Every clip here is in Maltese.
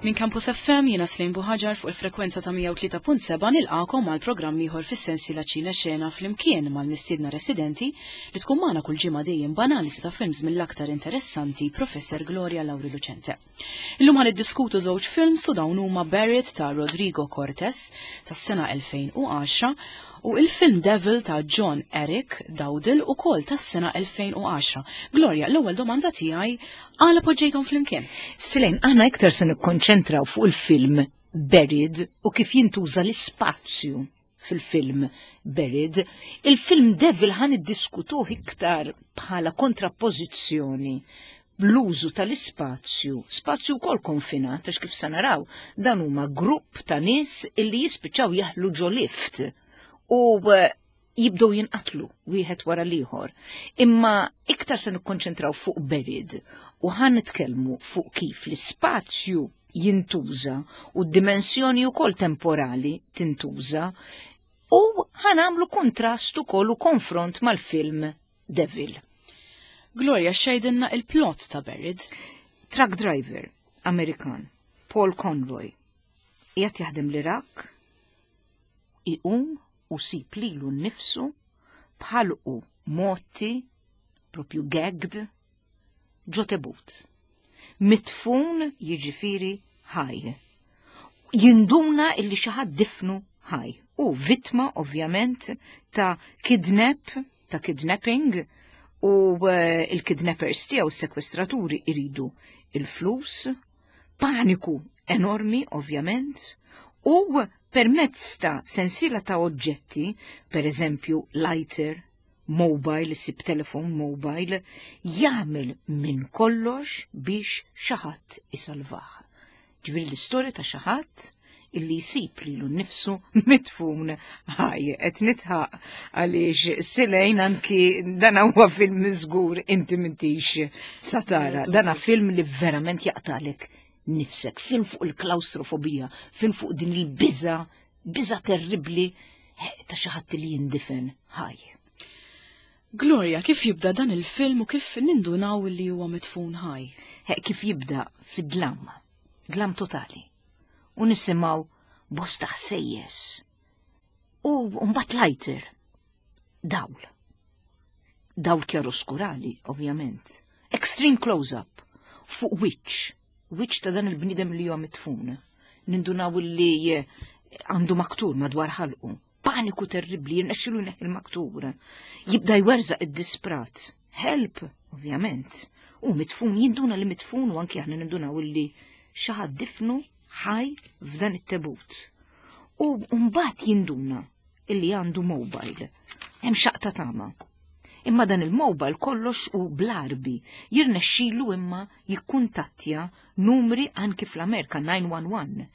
Minn Campus FM jiena Slim Buħaġar fuq il-frekwenza ta' 103.7 nilqakom għal programm ieħor fis-sensiela Ċina Xena flimkien mal-mistiedna residenti li tkun magħna kull ġimgħa dejjem b'analiżi ta' films mill-aktar interessanti Professor Gloria Lauri Lucente. Illum ħan iddiskutu żewġ films u dawn huma Barrett ta' Rodrigo Cortes tas-sena 2010 u il-film Devil ta' John Eric Dowdle ukoll tas-sena 2010. Gloria, l-ewwel domanda tiegħi għala poġġejthom flimkien. Silen, aħna iktar se nikkonċentraw fuq il-film Buried u kif jintuża l-ispazju fil-film Buried. Il-film Devil ħan iddiskutuh iktar bħala kontrappożizzjoni bl-użu tal-ispazju, spazju wkoll konfinat, għax kif se naraw, dan huma grupp ta' nies illi jispiċċaw jaħlu ġo lift u eh, jibdew jinqatlu wieħed wara l-ieħor. Imma iktar se nikkonċentraw fuq Buried u ħan nitkellmu fuq kif l-ispazju jintuża u d-dimensjoni wkoll temporali tintuża u ħanamlu kontrast ukoll u konfront mal-film Devil. Gloria xejdinna il-plot ta' Buried. Truck driver Amerikan Paul Conroy qiegħed jaħdem l-Iraq iqum u sib lilu nnifsu bħalqu motti propju gagged ġo tebut. Mitfun jiġifieri ħaj. Jinduna illi xi ħadd difnu ħaj. U vittma ovvjament ta' kidnap, ta' kidnapping u eh, il-kidnappers tiegħu s-sekwestraturi iridu il-flus, paniku enormi ovvjament, u permezz ta' sensiela ta' oġġetti, per eżempju lighter, mobile, isib telefon mobile, jagħmel minn kollox biex xi ħadd isalvah. Ġifieri l-istorja ta' xi ħadd illi jsib lilu nnifsu mitfun ħaj. Qed nitħaq għaliex silejn anki dan huwa film żgur inti m'intix satara. Dana film li verament jaqtalek nifsek, film fuq il-klaustrofobija, film fuq din il-biża, biża terribbli eh, ta' xi ħadd li jindifen ħaj. Gloria, kif jibda dan il-film u kif nindunaw li huwa mitfun ħaj? Eh, kif jibda fid-dlam, dlam totali. U nisimgħu bosta ħsejjes. U mbagħad lighter, dawl. Dawl kjaroskurali, ovvjament. Extreme close-up, fuq wiċċ, wiċċ ta' dan il-bniedem li huwa mitfun. Nindunaw li eh, għandu maktur madwar ħalqu. Paniku terribli, jirnexxilu jneħħi il-maktur. Jibda jwerżaq id-disprat. Help, ovvjament. U mitfun, jinduna li mitfun u anki aħna nindunaw li xi ħadd difnu ħaj f'dan it-tebut. U mbagħad jinduna illi għandu mobile. Hemm xaqta tama. Imma dan il-mobile kollox u bl-arbi jirnexxilu imma jikkuntattja numri anki fl-Amerika 911.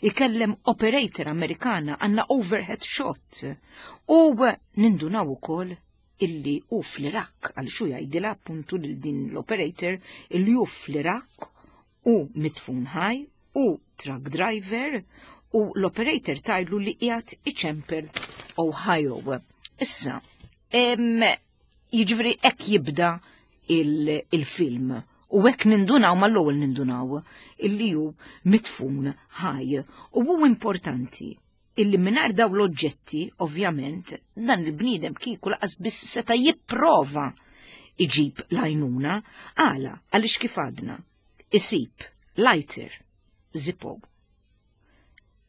Ikellem operator Amerikana għandna overhead shot. U nindunaw ukoll illi hu fl-Iraq għal xu jgħidilha appuntu lil din l-operator illi hu fl-Iraq u mitfun ħaj u truck driver u l-operator tajlu li qiegħed iċempel Ohio. Issa, jiġifieri hekk jibda il-film u hekk nindunaw mal-ewwel nindunaw illi hu mitfun ħaj. U hu importanti illi mingħajr daw l-oġġetti, ovvjament, dan il-bniedem kieku laqas biss seta' jipprova iġib l-għajnuna għala għaliex kif għadna isib lighter, zippo,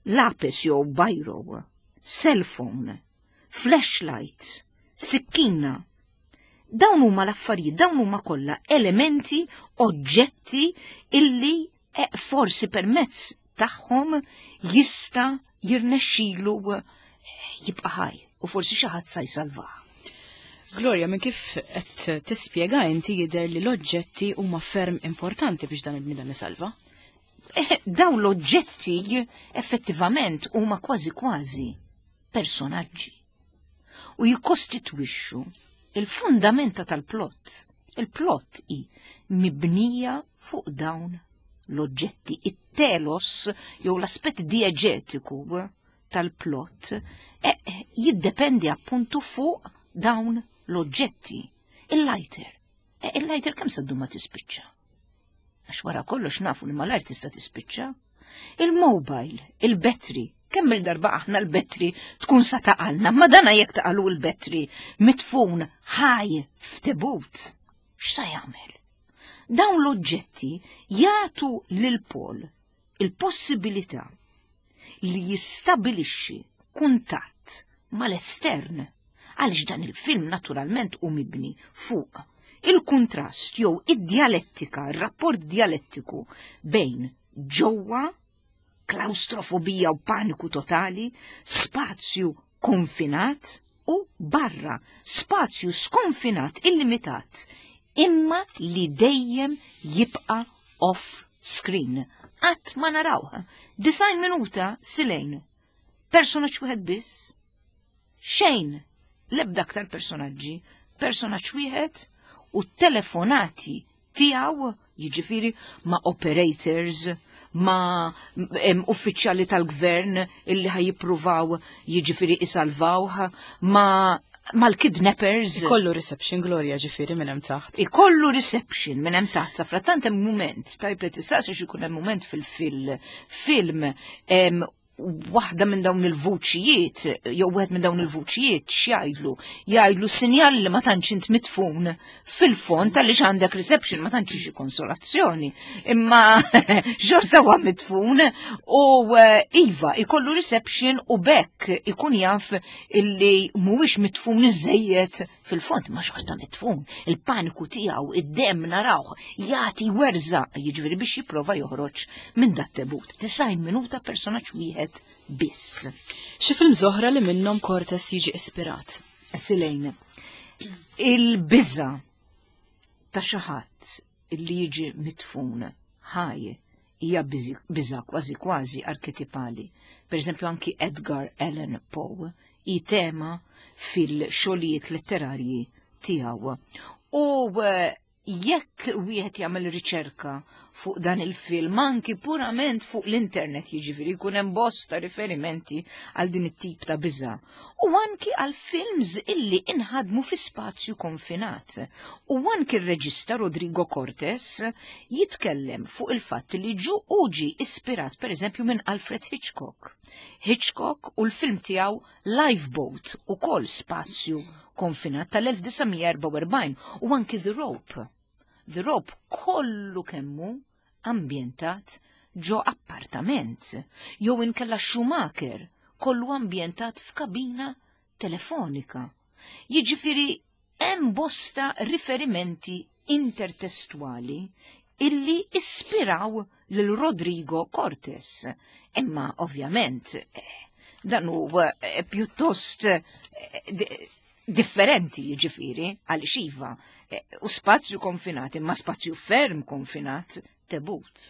lapis jew bajro, cellphone, flashlight, sikkina. Dawn huma l-affarijiet, dawn huma kollha elementi, oġġetti illi eh, forsi permezz tagħhom jista' jirnexxilu eh, jibqa' ħaj u forsi xi ħadd sa jsalvah. Gloria, minn kif qed tispjega inti jidher li l-oġġetti huma ferm importanti biex dan il-bniedem isalva. Eh, dawn l-oġġetti effettivament huma kważi kważi personaġġi u jikkostitwixxu il-fundamenta tal-plott. Il-plott hi mibnija fuq dawn l-oġġetti, it-telos jew l-aspett dieġetiku tal-plott eh, jiddependi appuntu fuq dawn l-oġġetti. Il-lighter. Eh, il-lighter kemm sa ma tispiċċa? Għax wara kollox nafu li mal-art tista' tispiċċa. Il-mobile, il-battery, kemm il-darba aħna l-battery tkun sa taqalna, ma dana jekk taqalu l-battery mitfun ħaj f'tebut. X'sa jagħmel? Dawn l-oġġetti jagħtu lil Paul il-possibilità li jistabilixxi kuntatt mal-estern għaliex dan il-film naturalment hu mibni fuq il-kuntrast jew id-djalettika, ir-rapport djalettiku bejn ġewwa klaustrofobija u paniku totali, spazju konfinat u barra, spazju skonfinat illimitat, imma li dejjem jibqa' off screen. Qatt ma narawha. 90 minuta silejn. Personaġġ wieħed biss. Xejn, l-ebda aktar personaġġi, personaġġ wieħed u telefonati tiegħu, jiġifieri ma' operators, ma' uffiċjali tal-gvern illi ħaj jippruvaw jiġifieri isalvawh, ma' mal-kidnappers. Ikollu reception Gloria ġifieri minn hemm taħt. Ikollu reception minn hemm taħt, sa frattant hemm mument, tajb li tistaqsi x'ikun hemm mument fil-film waħda minn dawn il-vuċijiet, jew wieħed minn dawn il-vuċijiet x'jgħidlu? Jgħidlu sinjal li ma tantx int mitfun fil-fond għaliex għandek reception ma tantx xi konsolazzjoni. Imma xorta huwa mitfun u eh, iva ikollu reception u bekk ikun jaf illi mhuwiex mitfun iżejjed fil-fond ma xorta mitfun. Il-paniku tiegħu, id-demm narawh, jagħti werża, jiġifieri biex jipprova joħroġ minn dat tebut. 90 minuta personaġġ wieħed biss. Xi film oħra li minnhom Cortes jiġi ispirat? Silejn. Il-biża ta' xi ħadd illi jiġi mitfun ħaj hija biża kważi kważi arketipali. Per eżempju anki Edgar Allan Poe hi tema fil-xogħlijiet letterarji tiegħu. U eh, jekk wieħed jagħmel riċerka fuq dan il-film anki purament fuq l-internet jiġifieri jkun hemm bosta riferimenti għal din it-tip ta' biża' u anki għal films illi inħadmu fi spazju konfinat. U anki r-reġista Rodrigo Cortes jitkellem fuq il-fatt li ġu uġi ispirat pereżempju minn Alfred Hitchcock. Hitchcock u l-film tiegħu Lifeboat ukoll spazju konfinat tal-1944 u anki The Rope. The Rope kollu kemmu ambjentat ġo appartament jew inkella Schumacher kollu ambjentat f'kabina telefonika. Jiġifieri hemm bosta riferimenti intertestwali illi ispiraw lil Rodrigo Cortes. Imma ovvjament eh, dan hu eh, pjuttost eh, differenti jiġifieri għaliex iva u spazju konfinat imma spazju ferm konfinat tebut.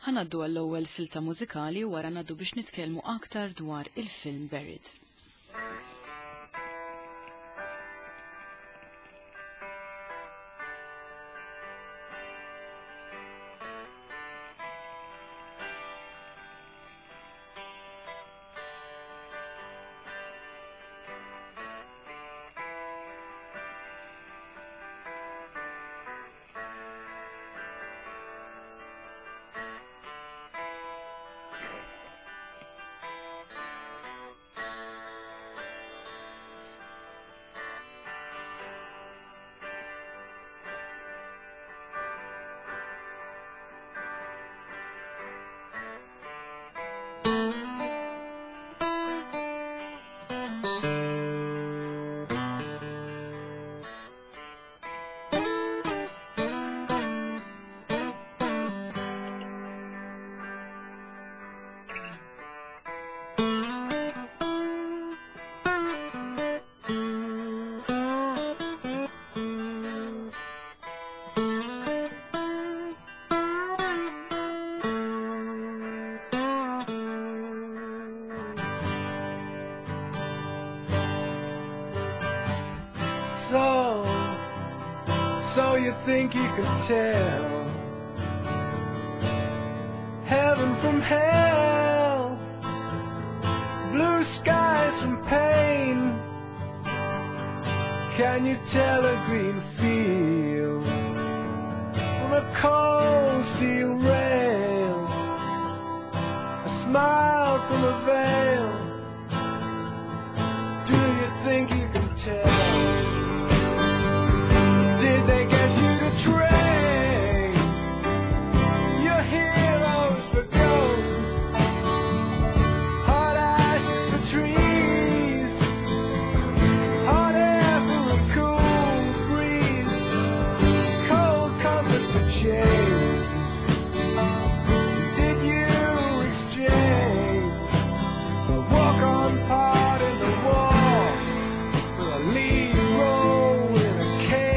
Ħanaddu għall-ewwel silta mużikali u wara ngħaddu biex nitkellmu aktar dwar il-film Buried. So, so you think you could tell heaven from hell, blue skies from pain? Can you tell a green field from a cold steel rail? smile from a veil? Do you think you can tell? Did they get you to train your heroes for ghosts? Hot ashes for trees, hot air for a cool breeze, cold comfort for change. Did you exchange a walk-on part in the war for a lead role in a cage?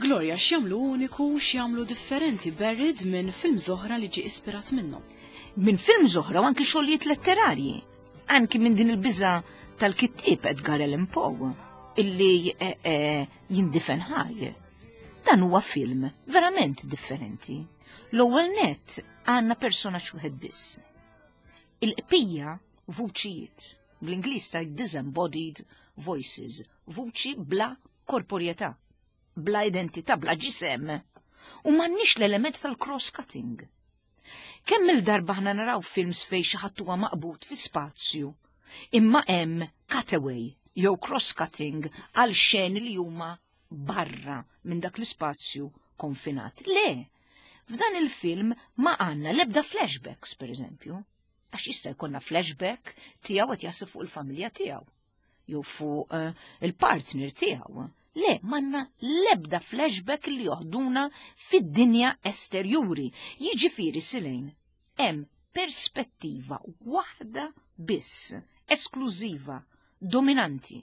Gloria, x'jagħmlu uniku, x'jagħmlu differenti Buried minn film oħra li ġie ispirat minnhom? Minn film oħra u anki xogħlijiet letterarji. Anki minn din il-biża tal-kittieb Edgar Allan Poe illi jindifen ħaj. Dan huwa film verament differenti. L-ewwel net għandna personaġġ wieħed biss. Il-qpija vuċijiet, bl-Ingliż ta' disembodied voices, vuċi bla korporjetà, bla identità, bla ġisem. U m'għandniex l-element tal-cross-cutting. Kemm il-darba ħna naraw films fej xi ħadd huwa maqbud fi spazju, imma hemm cutaway jew cross-cutting għal xeni li huma barra minn dak l-ispazju konfinat. Le, f'dan il-film ma għandna l-ebda flashbacks, per eżempju, għax jista' jkollna flashback tiegħu qed jaħseb fuq il-familja tiegħu jew fuq il-partner tiegħu. Le, m'għandna l-ebda flashback li joħduna fid-dinja esterjuri. Jiġifieri Silejn, hemm perspettiva waħda biss, esklużiva, dominanti.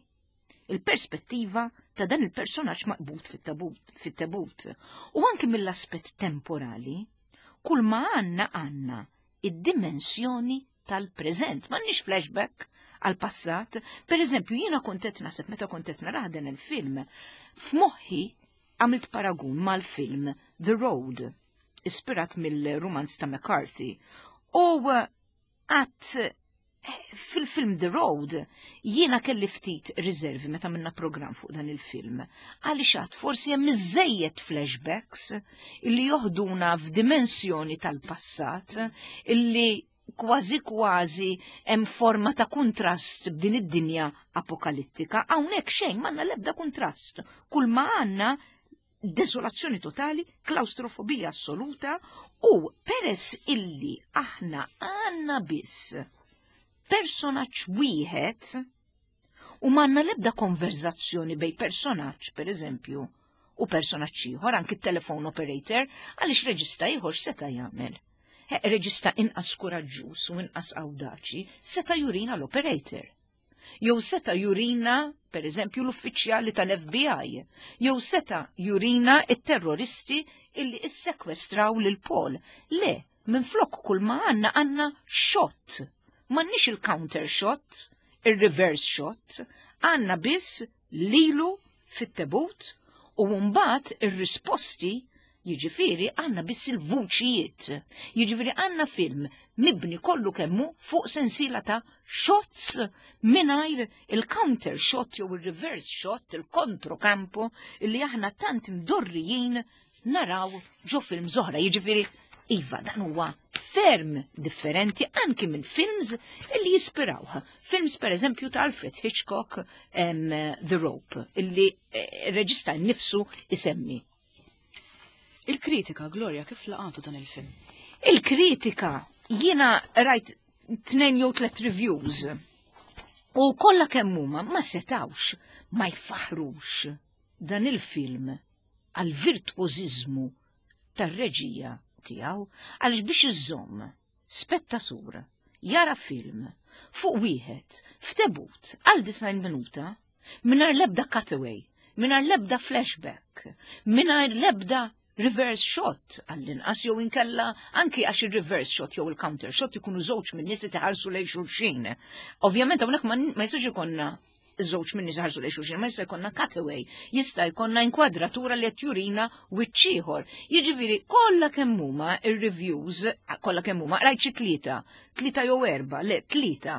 Il-perspettiva ta' dan il-personaġġ maqbud fit-tabut. U anki mill-aspett temporali, kull ma għandna għandna id-dimensjoni tal-preżent. M'għandniex flashback għal-passat. Per eżempju, jiena kont qed naħseb meta kont qed narah dan il-film, f'moħħi għamilt paragun mal-film The Road, ispirat mill-romanz ta' McCarthy. U għat fil-film The Road jiena kelli ftit riservi meta minna program fuq dan il-film. Għaliex għad forsi hemm iżejjed flashbacks illi joħduna f'dimensjoni tal-passat illi kważi kważi hemm forma ta' kuntrast b'din id-dinja apokalittika. Hawnhekk xejn m'għandna l-ebda kuntrast. Kull ma għandna desolazzjoni totali, klaustrofobija assoluta u peress illi aħna għandna biss personaġġ wieħed u m'għandna l-ebda konverzazzjoni bej personaġġ, per eżempju, u personaġġ ieħor, anki t-telefon operator, għaliex reġista ieħor seta' jagħmel. Reġista inqas kuraġġuż u inqas awdaċi seta' jurina l-operator. Jew seta' jurina, per eżempju, l-uffiċjali tal-FBI. Jew seta' jurina it-terroristi illi issekwestraw lil Paul. Le, minn flok kull ma għandna għandna shot. M'għandniex il-counter shot, il-reverse shot, għandna biss lilu fit-tebut u mbagħad ir-risposti, jiġifieri għandna biss il-vuċijiet. Jiġifieri għandna film mibni kollu kemmu fuq sensiela ta' shots mingħajr il-counter shot jew il-reverse shot, il-kontrokampo illi aħna tant mdorrijin naraw ġo film oħra. Jiġifieri, iva, dan huwa ferm differenti anki minn films illi jispirawha. Films per eżempju ta' Alfred Hitchcock, The Rope, illi reġista nnifsu isemmi. Il-kritika, Gloria, kif laqatu dan il-film? Il-kritika, jiena rajt 2 jew 3 reviews u kollha kemm huma ma setawx ma jfaħrux dan il-film għal virtuożiżmu tar-reġija tiegħu, għaliex biex iżomm spettatur jara film fuq wieħed f'tebut għal 90 minuta mingħajr l-ebda cutaway, mingħajr l-ebda flashback, mingħajr l-ebda reverse shot għall-inqas jew inkella anki għax il-reverse shot jew il-counter shot ikunu żewġ minn nies li tħarsu lejn xulxin. Ovvjament hawnhekk ma jistax ikollna żewġ minn nies ħarsu lejn xulxin, ma jista' jkollna cutaway, jista' jkollna inkwadratura li qed jurina wiċċ ieħor. Jiġifieri kollha kemm huma ir-reviews, kollha kemm huma, rajt xi tlieta, tlieta jew erba', le tlieta,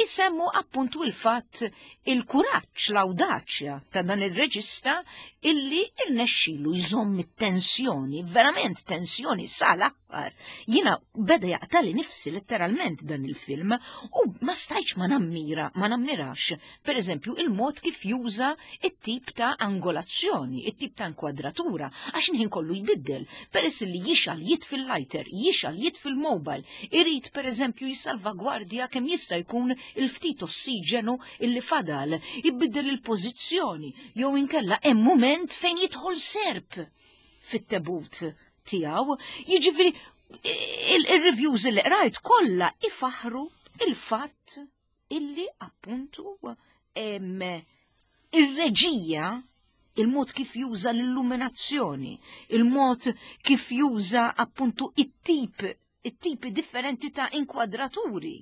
isemmu appuntu il-fatt il-kuraġġ, l-awdaċja ta' dan il-reġista illi irnexxilu jżomm it-tensjoni, verament tensjoni sal-aħħar. Jiena beda jaqtali nifsi letteralment dan il-film u ma stajtx ma nammira, ma nammirax, per eżempju, il-mod kif juża it-tip ta' angolazzjoni, it-tip ta' inkwadratura, għax il-ħin kollu jbiddel, peress li jixgħel jitfi l-lighter, jixgħel jitfi l-mobile, irid per eżempju jissalvagwardja kemm jista' jkun il-ftit ossiġenu illi fadal, jbiddel il-pożizzjoni, jew inkella hemm moment fejn jidħol serp fit-tebut tiegħu. Jiġifieri il-reviews li qrajt kollha ifaħru il-fatt illi appuntu ir-reġija, il-mod kif juża l-illuminazzjoni, il-mod kif juża appuntu it-tipi differenti ta' inkwadraturi.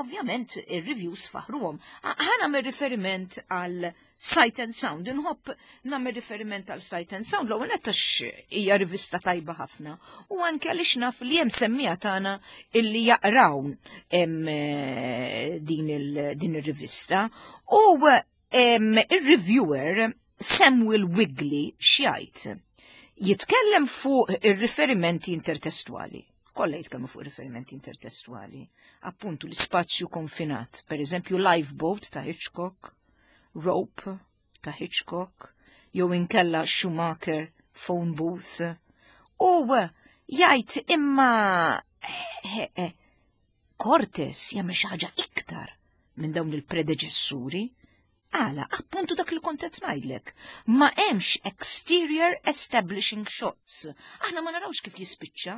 Ovvjament ir-reviews faħruhom. Ħa nagħmel riferiment għal Sight and Sound, inħobb nagħmel riferiment għal Sight and Sound, l-ewwel nett għax hija rivista tajba ħafna u anke għaliex naf li hemm semmiegħa tagħna illi jaqraw din ir-rivista u ir-reviewer Samuel Wigley x'jgħid? Jitkellem fuq ir-riferimenti intertestwali. Kollha jitkellmu fuq riferimenti intertestwali. Appuntu l-ispazju konfinat, per eżempju Lifeboat ta' Hitchcock, Rope ta' Hitchcock, jew inkella Schumacher, Phone Booth. U jgħid imma Cortez jagħmel xi ħaġa iktar minn dawn il-predeċessuri. Għala, appuntu dak li kont qed ngħidlek. Ma hemmx exterior establishing shots. Aħna ma narawx kif jispiċċa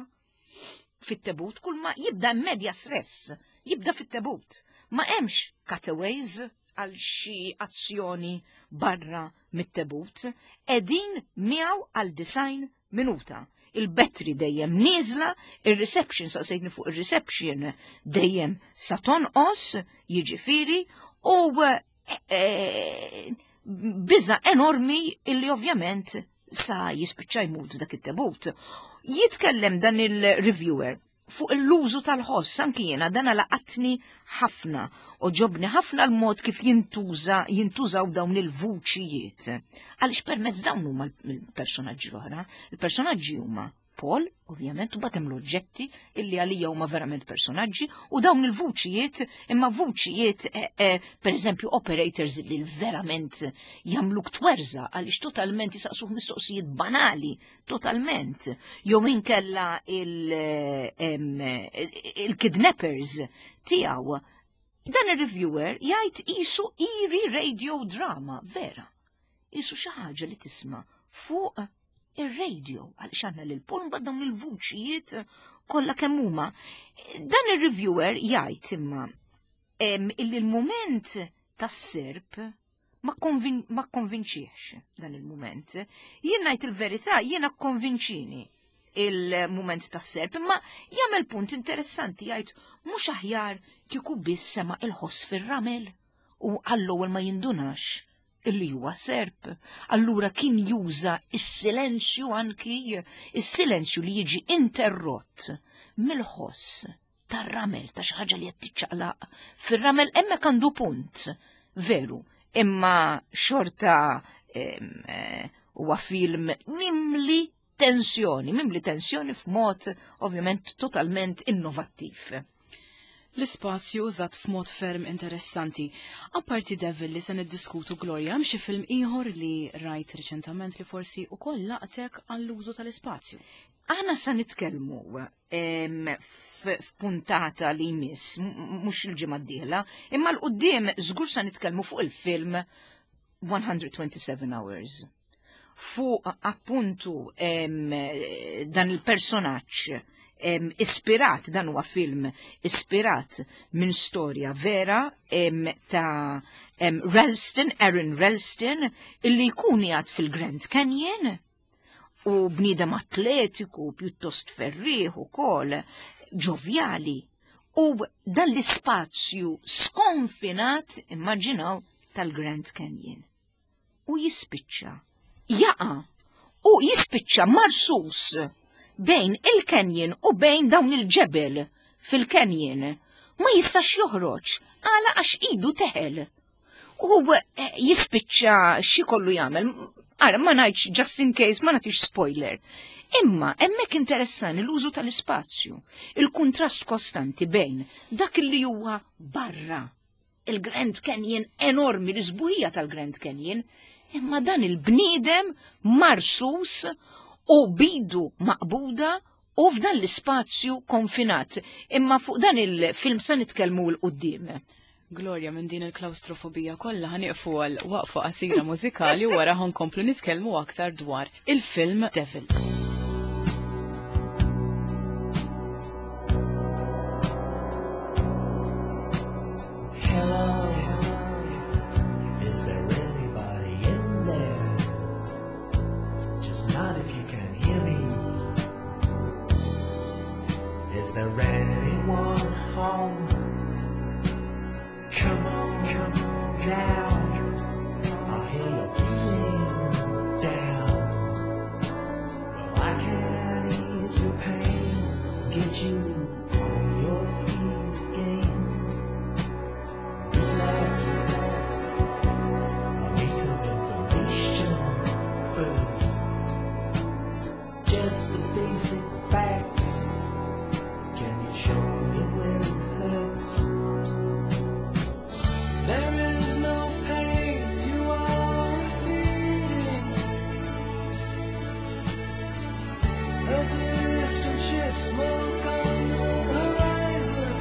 fit-tebut, kull ma jibda medias res, jibda fit-tebut. Ma hemmx cutaways għal xi azzjoni barra mit-tebut, qegħdin miegħu għal 90 minuta. Il-battery dejjem nieżla, il-reception, saqsejtni fuq il-reception, dejjem sa tonqos, jiġifieri, u biża enormi illi ovvjament sa jispiċċa jmut dak it-tebut. Jitkellem dan il-reviewer fuq l-użu tal-ħoss, anki jiena dan laqatni ħafna u għoġobni ħafna l-mod kif jintużaw dawn il-vuċijiet. Għaliex permezz dawn huma l-personaġġi l-oħra. Il-personaġġi huma Paul, ovvjament, u batem l-oġġetti illi għalija huma verament personaġġi, u dawn il-vuċijiet, imma vuċijiet, per eżempju, operators li verament jagħmluk twerżaq għaliex totalment jisaqsuh mistoqsijiet banali, totalment. Jew inkella il-kidnappers tiegħu. Dan il-reviewer jgħid qisu eerie radio drama, vera. Qisu xi ħaġa li tisma' fuq ir-radio, għaliex għandna lil Paul mbagħad dawn il-vuċijiet kollha kemm huma. Dan ir-reviewer jgħid imma illi l-mument tas-serp ma konvinċiex dan il-mument. Jien ngħid il-verità, jiena konvinċini il-mument tas-serp, imma jagħmel punt interessanti, jgħid mhux aħjar kieku biss sema' il-ħoss fir-ramel u għall-ewwel ma jindunax illi huwa serp. Allura kien juża is-silenzju, anki is-silenzju li jiġi interrott mill-ħoss tar-ramel, ta' xi ħaġa li qed tiċċaqlaq fir-ramel. Hemmhekk għandu punt, veru, imma xorta huwa film mimli tensjoni, mimli tensjoni f'mod ovvjament totalment innovattiv. L-ispazju użat f'mod ferm interessanti. Apparti Devil li se niddiskutu, Gloria, hemm xi film ieħor li rajt riċentament li forsi ukoll laqtek għall-użu tal-ispazju? Aħna sa nitkellmu f'puntata li jmiss, mhux il-ġimgħa d-dieħla, imma 'l quddiem żgur sa nitkellmu fuq il-film 127 Hours. Fuq appuntu dan il-personaġġ ispirat, dan huwa film ispirat minn storja vera ta' Ralston, Aaron Ralston, illi jkun jgħad fil-Grand Canyon. U bniedem atletiku, pjuttost ferrieħ ukoll, ġovjali. U dan l-ispazju skonfinat, immaġinaw, tal-Grand Canyon. U jispiċċa, jaqa' u jispiċċa marsus bejn il-canyon u bejn dawn il-ġebel fil-canyon. Ma jistax joħroġ, għala għax idu teħel. U eh, jispiċċa xi kollu jagħmel. Ara, ma ngħidx just in case, ma nagħtix spoiler. Imma hemmhekk interessani l-użu tal-ispazju, il-kuntrast kostanti bejn dak li huwa barra il-Grand Canyon enormi, l-isbuħija tal-Grand Canyon, imma dan il-bniedem marsus u bidu maqbuda u f'dan l-ispazju konfinat. Imma fuq dan il-film sa nitkellmu l-qudiem. Gloria, minn din il-klaustrofobija kollha ħaniqfu għal waqfa qasira mużikali u wara ħankomplu nitkellmu aktar dwar il-film Devil. Hello, is there anybody in there? Just not if you can hear me. Is there anyone home? Come on, come on down. I hear you're feeling down. Well, I can ease your pain, get you on your feet again. Relax. I need some information first. Just the basic facts. Can you show me where it hurts? There is no pain, you are receding. A distant shit smoke on the horizon.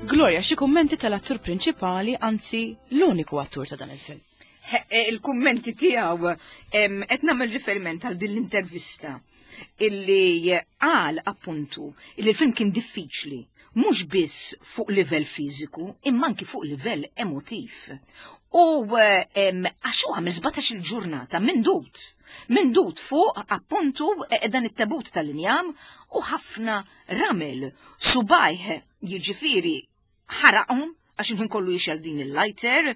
Gloria, xi kummenti tal-attur prinċipali, anzi l-uniku attur ta' dan il-film. Eh, il-kummenti tiegħu qed nagħmel riferiment għal din l-intervista illi qal appuntu illi l-film kien diffiċli mhux biss fuq livell fiżiku imma anki fuq livell emotiv. U għax huwa għamel 17 il-ġurnata mindut. Mindut fuq appuntu eh, dan it-tebut tal-injam u ħafna ramel subajh jiġifieri ħaraqhom għax il-ħin kollu jixgħel din il-lighter,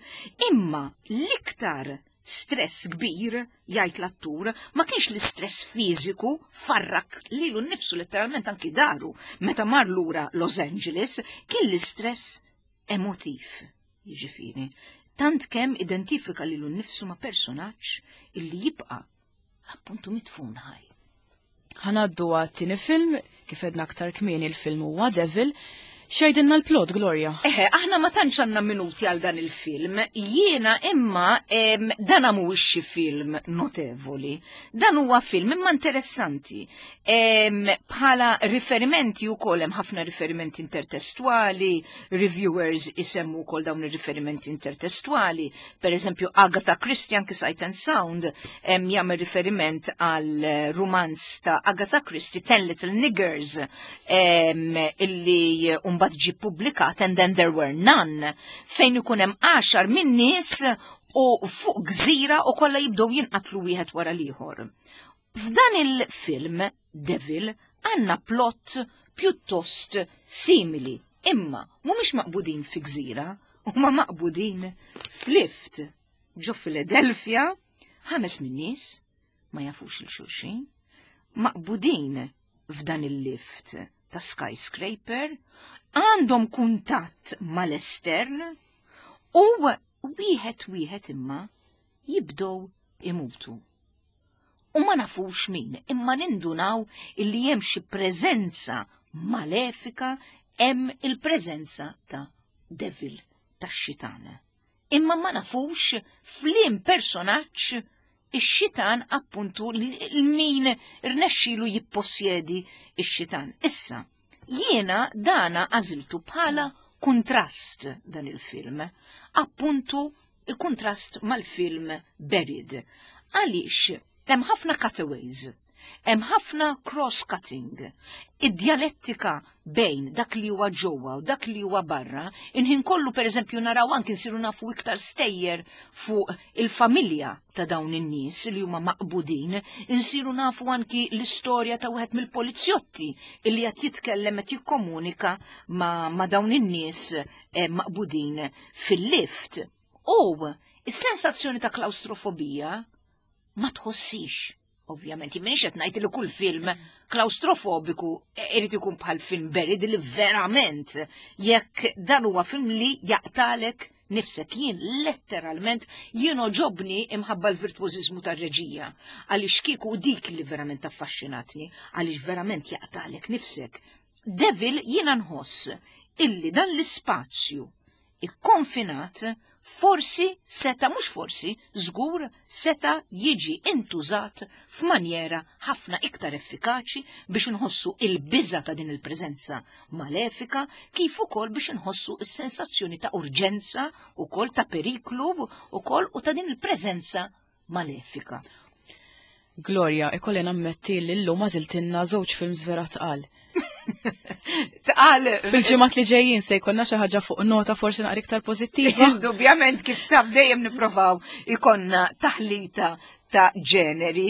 imma l-iktar stress kbir, jgħid l-attur, ma kienx l-istress fiżiku farrak lilu nnifsu letteralment anki daru meta mar lura Los Angeles, kien l-istress emotiv, jiġifieri. Tant kemm identifika lilu nnifsu ma' personaġġ illi jibqa' appuntu mitfun ħaj. Ħanaddu għat-tieni film, kif edna aktar kmieni l-film huwa Devil. X'jgħidilna l-plot, Gloria? Eħe, aħna ma tantx għandna minuti għal dan il-film. Jiena imma dan mhuwiex xi film notevoli. Dan huwa film imma interessanti. Bħala riferimenti wkoll hemm ħafna riferimenti intertestwali, reviewers isemmu wkoll dawn ir-riferimenti intertestwali. Per eżempju, Agatha Christie anki Sight and Sound jagħmel riferiment għal rumanz ta' Agatha Christie Ten Little Niggers illi mbagħad ġie ppubblikat And Then There Were None fejn ikun hemm 10 minn nies u fuq gżira u kollha jibdew jinqatlu wieħed wara l-ieħor. F'dan il-film Devil għandna plot pjuttost simili, imma mhumiex maqbudin fi gżira, huma maqbudin f'lift ġo Philadelphia, 5 minn nies ma jafux il xulxin, maqbudin f'dan il-lift ta' skyscraper, għandhom kuntatt mal-estern u wieħed wieħed imma jibdew imutu. U ma nafux min, imma nindunaw illi hemm xi preżenza malefika, hemm il-preżenza ta' devil, tax-xitan. Imma ma nafux f'liem personaġġ ix-xitan appuntu l-min rnexxilu jippossjedi ix-xitan. Issa, jiena dana għażiltu bħala kuntrast dan il-film, appuntu il-kuntrast mal-film Buried. Għaliex hemm ħafna cutaways, hemm ħafna cross-cutting, id-djalettika bejn dak li huwa ġewwa u dak li huwa barra, inħin kollu pereżempju naraw anki nsiru nafu iktar stejjer fuq il-familja ta' dawn in-nies li huma maqbudin, insiru nafu anki l-istorja ta' wieħed mill-polizjotti illi qed jitkellem qed jikkomunika ma', ma dawn in-nies eh, maqbudin fil-lift. U is-sensazzjoni ta' klaustrofobija ma tħossix. Ovvjament, jien m'iniex qed ngħid li kull film klaustrofobiku irid ikun bħal film Buried li verament jekk dan huwa film li jaqtalek nifsek jien letteralment jien oġobni imħabba l-virtuożiżmu tar-reġija għaliex kieku dik li verament affaxxinatni għaliex verament jaqtalek nifsek. Devil jiena nħoss illi dan l-ispazju ikkonfinat forsi seta' mhux forsi, żgur seta' jiġi intużat f'manjera ħafna iktar effikaċi biex inħossu il-biża' ta' din il-preżenza malefika kif ukoll biex inħossu s-sensazzjoni ta' urġenza ukoll ta' periklu ukoll u ta' din il-preżenza malefika. Gloria, ikolli nammetti li llum għażiltilna żewġ films vera tqal. Tqal. Fil-ġimgħat li ġejjin se jkollna xi ħaġa fuq nota forsi naqra iktar pożittiva. Indubjament kif taf dejjem nipprovaw ikonna taħlita ta' ġeneri,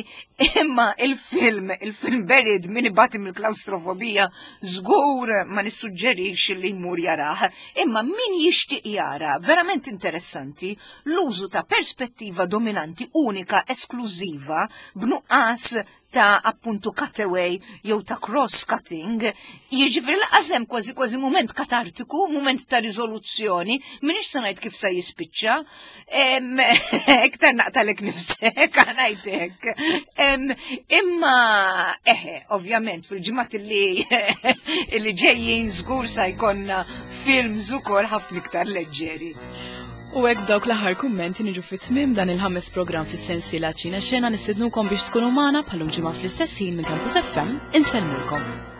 imma il-film, il-film Buried min ibati mill-klaustrofobija żgur ma nissuġġerix li jmur jarah, imma min jixtieq jara verament interessanti l-użu ta' perspettiva dominanti unika esklużiva b'nuqqas ta' appuntu cutaway jew ta' cross-cutting, jiġifieri lanqas hemm kważi kważi mument katartiku, mument ta' riżoluzzjoni, m'iniex se ngħid kif se jispiċċa, iktar naqtalek nifsek, ngħidlek. Imma eħe, ovvjament fil-ġimgħat li li ġejjin żgur sa jkollna films ukoll ħafna iktar leġġeri. U hekk dawk l-aħħar kummenti niġu fit-tmiem dan il-ħames programm fis-sensiela Ċina Xena nistednukom biex tkunu magħna bħalum ġimgħa fl-istess ħin minn Campus FM insellmulkom.